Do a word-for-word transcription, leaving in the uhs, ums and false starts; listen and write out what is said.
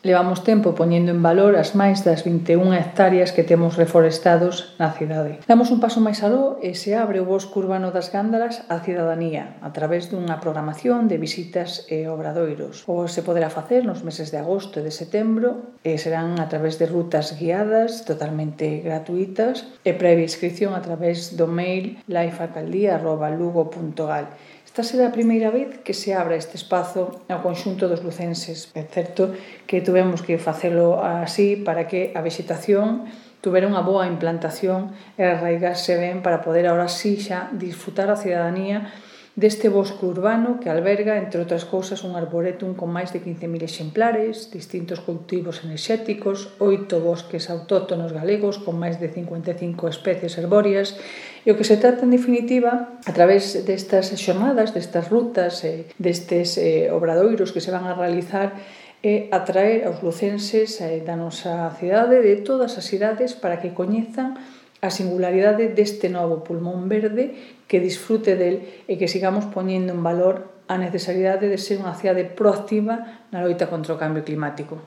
Levamos tempo poñendo en valor as máis das vinte e unha hectáreas que temos reforestados na cidade. Damos un paso máis aló e se abre o bosque urbano das Gándaras á cidadanía a través dunha programación de visitas e obradoiros. O se poderá facer nos meses de agosto e de setembro e serán a través de rutas guiadas totalmente gratuitas e previa inscripción a través do mail lifealcaldía arroba lugo punto gal. Esta será a primeira vez que se abra este espazo ao conxunto dos lucenses. É certo que tuvemos que facelo así para que a vexetación tuvera unha boa implantación e arraigarse ben para poder ahora sí xa disfrutar a cidadanía deste bosque urbano que alberga, entre outras cousas, un arboretum con máis de quince mil exemplares, distintos cultivos enerxéticos, oito bosques autóctonos galegos con máis de cincuenta e cinco especies herbóreas e o que se trata, en definitiva, a través destas xornadas, destas rutas, destes obradoiros que se van a realizar, é atraer aos lucenses da nosa cidade, de todas as cidades, para que coñezan a singularidade deste novo pulmón verde, que disfrute del e que sigamos poñendo en valor a necesariedade de ser unha cidade proactiva na loita contra o cambio climático.